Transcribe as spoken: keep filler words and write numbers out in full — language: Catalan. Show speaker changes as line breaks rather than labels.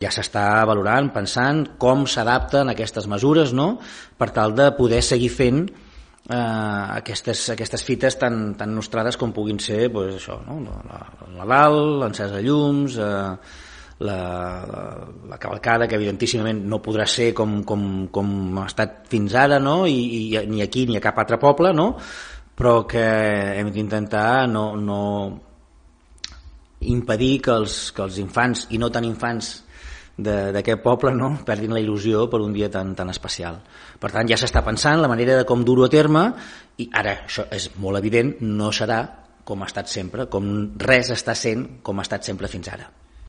Ja s'està valorant, pensant com s'adapten aquestes mesures, no?, per tal de poder seguir fent eh, aquestes, aquestes fites tan, tan nostrades com puguin ser, pues, això, no?, el Nadal, l'encès de llums, eh, la, la, la cavalcada, que evidentíssimament no podrà ser com, com, com ha estat fins ara, no?, I, i ni aquí ni a cap altre poble, no?, però que hem d'intentar no, no impedir que els, que els infants i no tan infants d'aquest poble, no?, perdin la il·lusió per un dia tan, tan especial. Per tant, ja s'està pensant la manera de com dur-ho a terme, i ara això és molt evident, no serà com ha estat sempre, com res està sent com ha estat sempre fins ara.